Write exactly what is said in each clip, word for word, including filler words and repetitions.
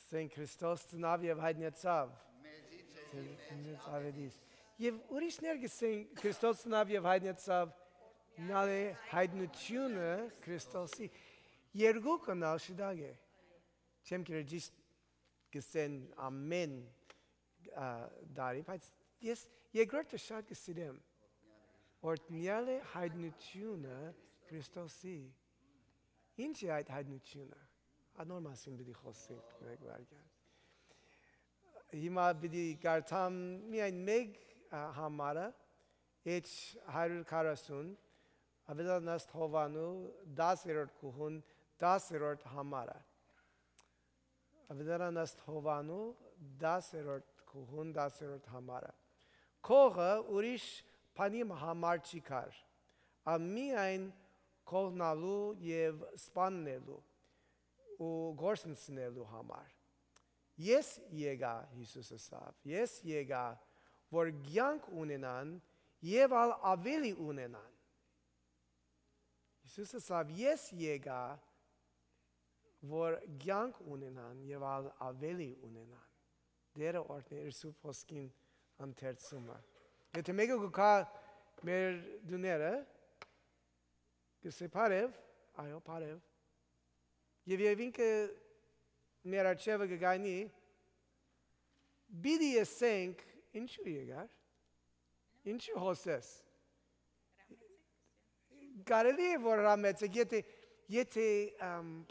Ասենք Քրիստոս ծնավ եւ հայտնեցավ։ Եվ ուրիշներ գսեն Քրիստոս ծնավ եւ հայտնեցավ, նալե հայտնությունը Քրիստոսի երկուքն աշդագ է։ Չեմ կրել ճիշտ գսեն ամեն դարի, բայց ես երկրորդը շատ գսիրեմ, օրտնյալ է հայտնությունը Քրիստոսի։ Ինչ է այդ հայտնությունը։ Անոր մասին պիտի խոսենք մեկ վարքյան։ Հիմա պիտի կարդամ միայն մեկ համարը, H հարյուր քառասուն, Ավետարանաստ Հովանու դասերորդ կուհուն դասերորդ համարը։ Ավետարանաստ Հովանու դասերորդ կուհուն դասերորդ համարը։ Քողը ուրիշ բանի համար չի կար, ամիայն քողնալու եւ սպաննելու ու գործընծնելու համար։ Ես եկա, Հիսուսը ասավ, ես եկա, որ կյանք ունենան եւ ալ ավելի ունենան։ Հիսուսը ասավ, ես եկա, որ կյանք ունենան եւ ալ ավելի ունենան։ Դերը օրհներ Սուրբ Խոսքին ընթերցումը։ Եթե մեկը կա մեր դուները, կսե բարև, այո բարև։ Եվ եւ ինքը մեր աչևը կգայնի, բիդի ասենք, ինչու եկար, ինչու հոսես։ Կարելի է որ ռամեցեք, եթե, եթե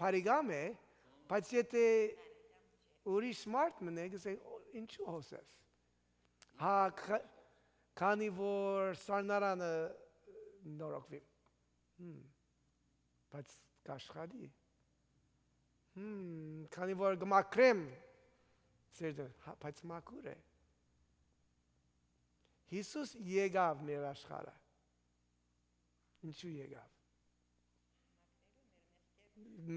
բարիգամ է, բայց եթե ուրիշ մարդ մնե, կսեք, ինչու հոսես։ Հա, քանի որ սարնարանը նորոգվի, բայց կաշխատի։ Hmm, քանի որ գմակրեմ, բայց մակուր է։ Հիսուս եկավ մեր աշխարհը։ Ինչու եկավ։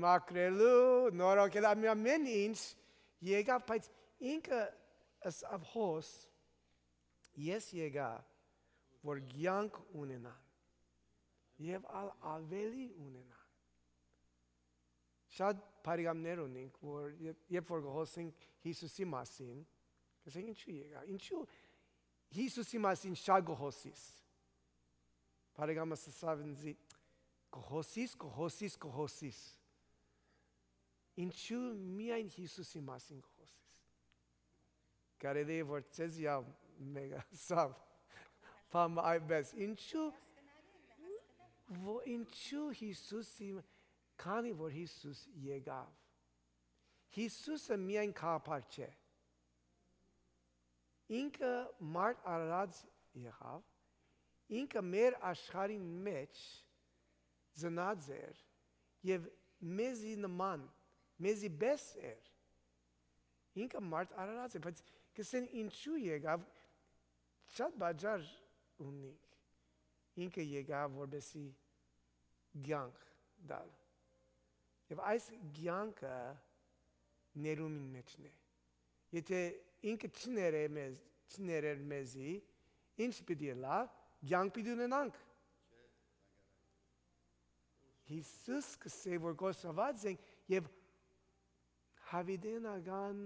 Մակրելու, նորոգել ամեն ինչ եկավ, բայց ինքը ասավ հոս, ես եկա, որ կյանք ունենան եւ ավելի ունենան։ Շատ բարիգամներ ունենք, որ երբ որ խոսենք Հիսուսի մասին, կասենք ինչու եկա, ինչու Հիսուսի մասին շատ գոհոսիս։ Բարիգամը ասավ ինձ, գոհոսիս, գոհոսիս, գոհոսիս։ Ինչու միայն Հիսուսի մասին գոհոսիս։ Կարելի է որ ցեզ յավ մեգա սավ, փամ այբես, ինչու, ինչու Հիսուսի Քանի որ Հիսուս եկավ, Հիսուսը միայն քահապար չէ, ինքը մարդ արարած եղավ, ինքը մեր աշխարհի մեջ ծնած էր եւ մեզի նման, մեզի պես էր, ինքը մարդ արարած է, բայց կսեն ինչու եկավ, շատ բաժար ունենք, ինքը եկավ որպեսզի կյանք տալ։ Եվ այս կյանքը ներումին մեջն է։ Եթե ինքը չներեր մեզ, չներեր մեզի, ինչ պիտի լա, կյանք պիտի ունենանք։ Հիսուս կսե որ գործված ենք եւ հավիտենական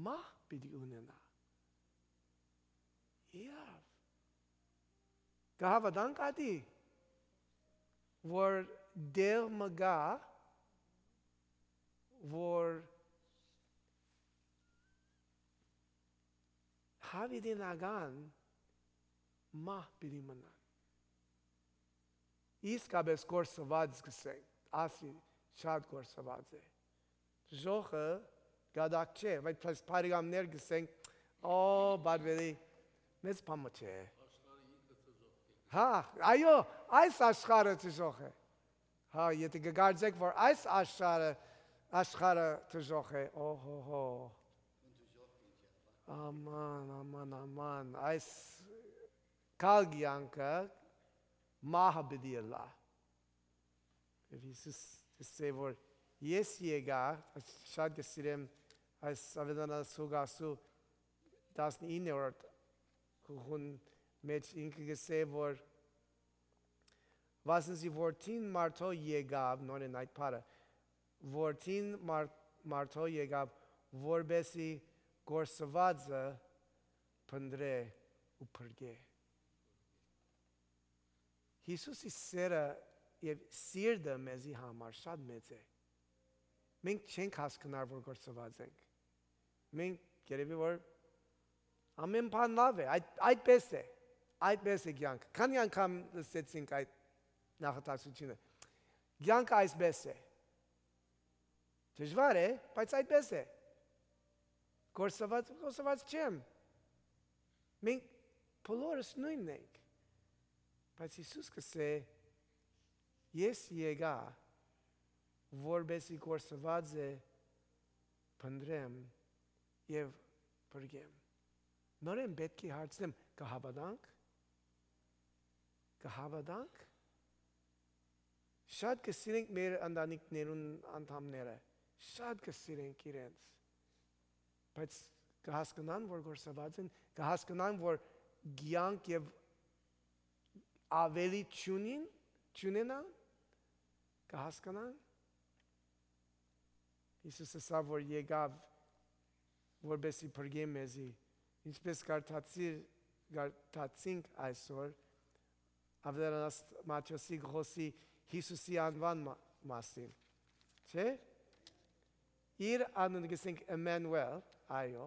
մահ պիտի ունենա։ Եվ կհավատանք ադի, որ դեր մգա որ հավիտենական մահ պիտի մնան։ Իսկապես գործված գսենք, ասի շատ գործված է։ Ժողը գադակ չէ, բայց բարիգամներ գսենք, օ, բարվելի, մեծ պամը չէ։ Հա, այո, այս աշխարհը ճժող է։ Հա, եթե կգարձեք, որ այս աշխարհը աշխարհը ճժող է, օհո-հո։ Աման, աման, աման, այս կալգյանքը մահը պիտի լա։ Եվ Հիսուս ասե, որ ես եկա, շատ կսիրեմ այս Ավետարանաստ Հուգասու տասնիններորդ կուղուն մեջ ինքը գսե, որ վասնզի որդին մարդո եկավ, նորեն այդ պարը, որդին մարդո եկավ, որբեսի գործվածը փնդրե ու փրկե։ Հիսուսի սերը եւ սիրտը մեզի համար շատ մեծ է։ Մենք չենք հասկանալ, որ գործված ենք։ Մենք երևի որ ամեն բան լավ է, այդ այդպես է, այդպես է կյանքը։ Քանի անգամ լսեցինք այդ նախատեսությունը։ Կյանքը այսպես է։ Դժվար է, բայց այդպես է։ Գործված, գործված չեմ։ Մենք բոլորս նույնն ենք։ Բայց Հիսուս կսե ես եկա որբեսի գործված է փնդրեմ եւ փրկեմ։ Նորեն պետք է հարցնեմ կհավատանք կհավատանք շատ կսիրենք մեր ընտանիքներուն անդամները շատ կսիրենք իրենց բայց կհասկանան որ գործված են կհասկանան որ կյանք եւ ավելի ճունին ճունենան կհասկանան Հիսուսը սա որ եկավ որբեսի փրկե մեզի ինչպես կարդացինք այսօր ավելանաց Մատթեոսի գլխի Հիսուսի անվան մասին չէ իր անունը գսենք Էմանուել այո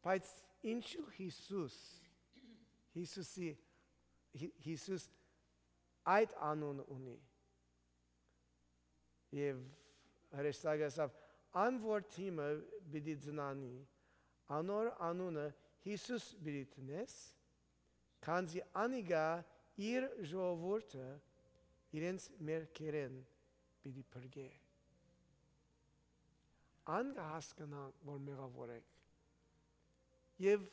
բայց ինչու Հիսուս Հիսուսի Հիսուս այդ անուն ունի եւ հրեշտակը ասավ անոր թիմը պիտի ծնանի անոր անունը Հիսուս պիտի տնես քանզի անիգա իր ժողովուրդը իրենց մերքերեն պիտի փրկե ան կհասկանանք որ մեղավոր ենք եւ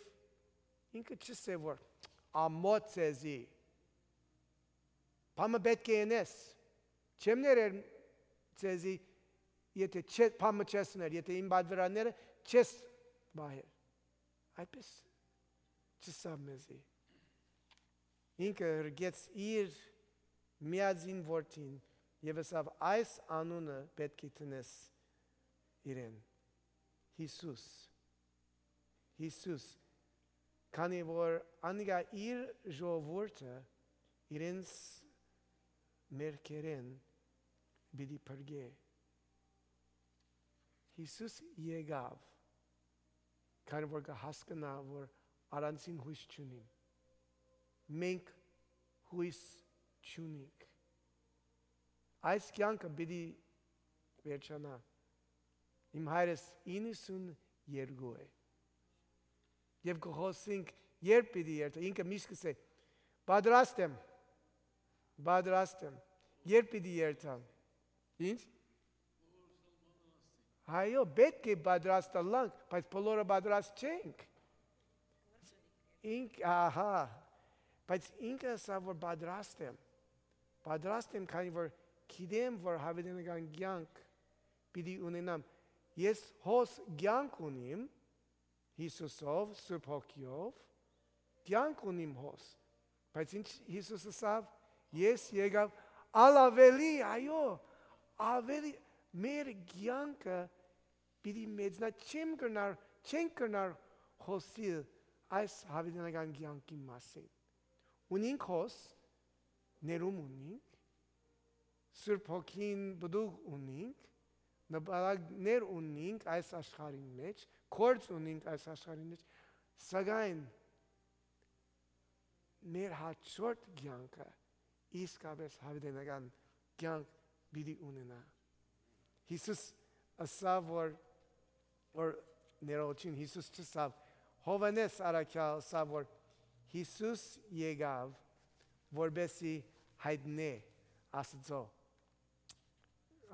ինքը չսե որ ամոթ ցեզի Պամը պետք է ենես չեմ ներեր ցեզի եթե չես պամը չես ներ եթե իմ բادرաները չես բայեր այպես չսա մեզի ինքը հրգեց իր միածին որդին եւ ասավ այս անունը պետք է տնես իրեն Հիսուս Հիսուս քանի որ անիգա իր ժողովուրդը իրենց մերքերեն պիտի փրկե Հիսուս եկավ քանի որ կհասկանա որ առանցին հույս չունի մենք հույս չունենք այս կյանքը պիտի վերջանա իմ հայրս իննսունյերկու է եւ գողոսինք երբ պիտի երթա ինքը միշտ կսե պատրաստ եմ պատրաստ եմ երբ պիտի երթամ ինչ հայո պետք է պատրաստ լանք բայց բոլորը պատրաստ չենք ինք ահա բայց ինքը ասա որ պատրաստ եմ պատրաստ եմ քանի որ գիտեմ որ հավիտենական կյանք պիտի ունենամ ես հոս կյանք ունիմ Հիսուսով Սուրբ Հոգիով կյանք ունիմ հոս բայց ինչ Հիսուս ասավ ես եկավ ալավելի այո ավելի մեր կյանքը պիտի մեծնա չեմ կրնար չեն կրնար խոսիլ այս հավիտենական կյանքի մասին ունինք հոս ներում ունինք Սուրբ Հոգին բդուղ ունինք նպատակներ ունինք այս աշխարհի մեջ կորց ունինք այս աշխարհի մեջ սակայն մեր հաջորդ կյանքը իսկապես հավիտենական կյանք պիտի ունենա Հիսուս ասավ որ որ ներողություն Հիսուս չասավ Հովանես առաքյալ ասավ որ Հիսուս եկավ որբեսի հայտնե Աստծո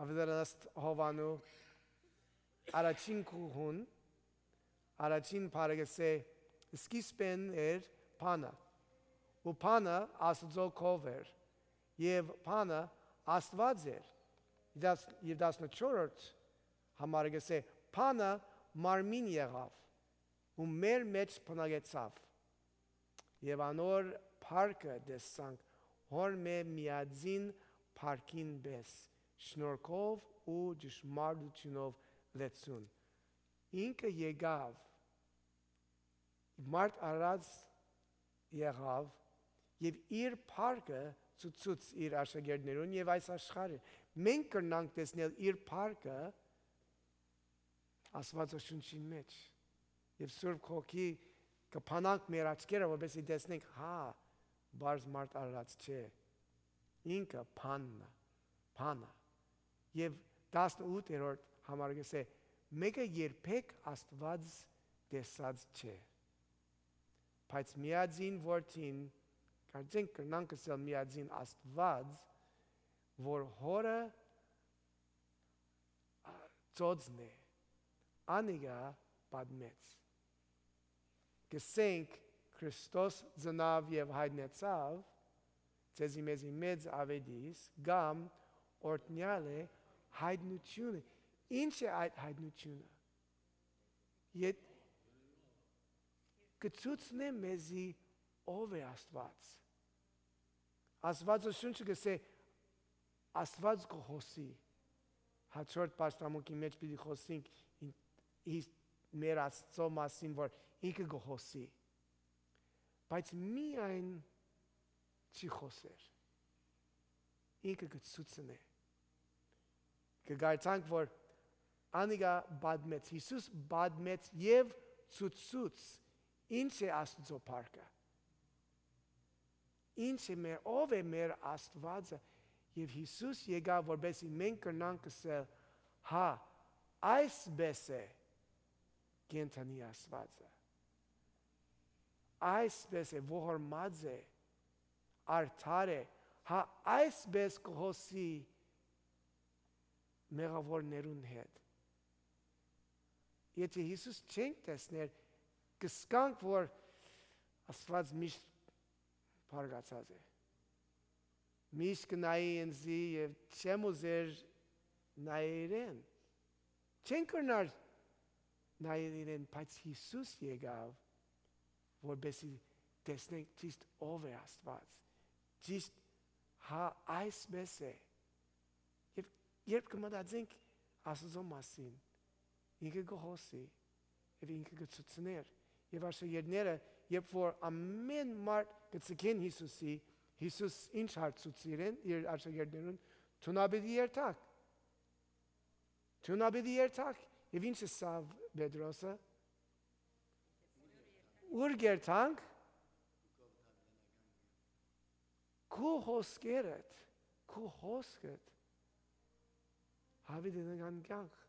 ավելանաց Հովանու առաջին կողուն առաջին բարեգսե սկիզբեն էր փանա ու փանը Աստծո կով էր եւ փանը Աստված էր եւ տասնչորրորդ համարը գսե փանը մարմին եղավ ու մեր մեջ բնակեցավ եւ անոր փառքը տեսանք հոր մե միածին փառքին բես շնորհքով ու ճշմարտությունով լեցուն ինքը եկավ, մարդ արած եղավ, և իր փառքը ցույց իր աշակերտներուն և այս աշխարհը։ Մենք կրնանք տեսնել իր փառքը Աստվածաշնչի մեջ։ Եվ Սուրբ Հոգի կփանանք մեր աչքերը, որպեսզի տեսնենք, հա, բարձ մարդ արած չէ։ Ինքը փանն է, փանը։ Եվ տասնութերորդ համարը գսե, մեկը երբեք Աստված տեսած չէ։ Բայց միածին որդին, կարծենք կրնանք ասել միածին Աստված, որ հորը ծոցն է, անիգա պատմեց։ Գսենք Քրիստոս ծնավ և հայտնեցավ, ձեզի մեզի մեծ ավետիս, գամ օրտնյալ է հայտնությունը։ Ինչ է այդ հայտնությունը։ Ետ կցուցնե մեզի ով է Աստված։ Աստվածաշունչը գսե Աստված կխոսի։ Հաջորդ պաշտամունքի մեջ պիտի խոսենք մեր Աստծո մասին, որ ինքը կխոսի։ Բայց միայն չի խոսեր։ Ինքը կցուցնե։ Կգայցանք, որ անիգա բադմեց, Հիսուս բադմեց և ցուցուց, ինչ է Աստծո փառքը։ Ինչ է մեր, ով է մեր Աստվածը, և Հիսուս եկավ, որպեսզի մենք կրնանք ասել, հա, այսպես է կենդանի Աստվածը։ Այսպես է, ողորմած է, արդար է, հա, այսպես կխոսի մեղավորներուն հետ։ Եթե Հիսուս չենք տեսներ, կսկանք, որ Աստված միշտ փառգացած է։ Միշտ կնայի ինձի և չեմ ուզեր նայել իրեն։ Չեն կրնար նայել իրեն, բայց Հիսուս եկավ, որպեսզի տեսնենք ճիշտ ով է Աստված։ Ճիշտ հա այսպես է։ Եվ երբ կմտածենք Աստծո մասին, ինքը կխոսի և ինքը կցուցներ։ Եվ աշակերտները, երբ որ ամեն մարդ կցկեն Հիսուսի, Հիսուս ինչ հարցուցի իրեն, իր աշակերտներուն, թունաբիդի երթակ։ Թունաբիդի երթակ։ Եվ ինչ է սա Պետրոսը։ Ուր գերտանք։ Քու հոսքերդ, քու հոսքդ հավիտենական կյանք։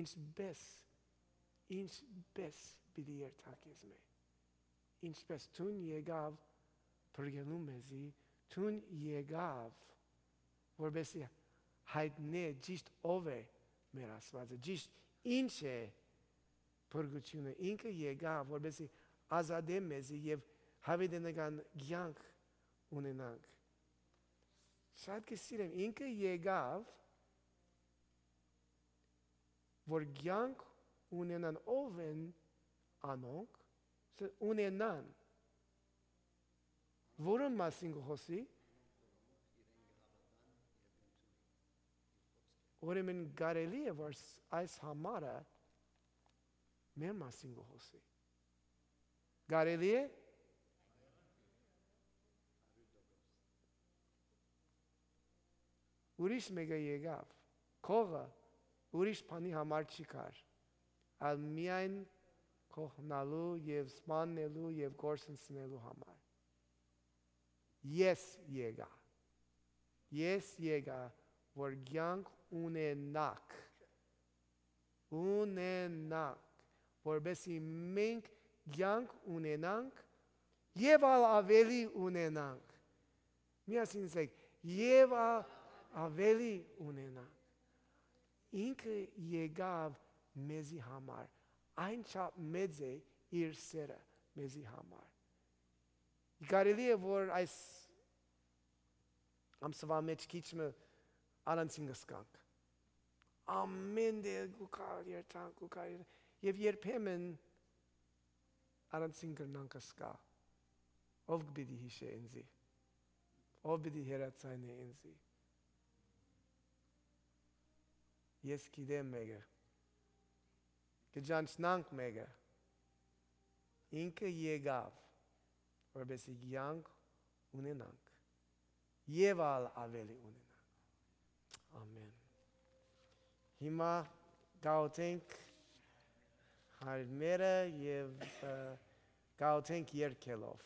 Ինչպես, ինչպես պիտի երթակ ես մե։ Ինչպես թուն եկավ փրկելու մեզի, թուն եկավ, որպեսզի հայտնե ճիշտ ով է մեր Աստվածը, ճիշտ ինչ է փրկությունը, ինքը եկավ, որպեսզի ազատե մեզի և հավիտենական կյանք ունենանք։ Շատ կսիրեմ, ինքը եկավ, որ կյանք ունենան, ով են անոնք, ունենան։ Որոն մասին կխոսի։ Ուրեմն կարելի է, որ այս համարը մեր մասին կխոսի։ Կարելի է։ Ուրիշ մեկը եկավ, քողը ուրիշ բանի համար չի կար, այլ միայն քողնալու և սպանելու և գործընծնելու համար։ Ես եկա, ես եկա, որ կյանք ունենաք, ունենաք, որպեսզի մենք կյանք ունենանք և ավելի ունենանք։ Միասին ասենք, և ավելի ունենանք։ Ինքը եկավ մեզի համար, այն չափ մեծ է իր սերը մեզի համար։ Կարելի է, որ այս ամսվա մեջ քիչը առանցին կսկանք։ Ամեն դեր կուքար երթանք, կուքար երթանք, և երբեմն առանցին կրնանք կսկա, ով կպիտի հիշե ինձի, ով պիտի հերացայնե ինձի։ Ես գիտեմ մեկը, կճանչնանք մեկը, ինքը եկավ, որպեսզի կյանք ունենանք, և ալ ավելի ունենանք, ամեն, հիմա գաղութենք հայրմերը և գաղութենք երկելով,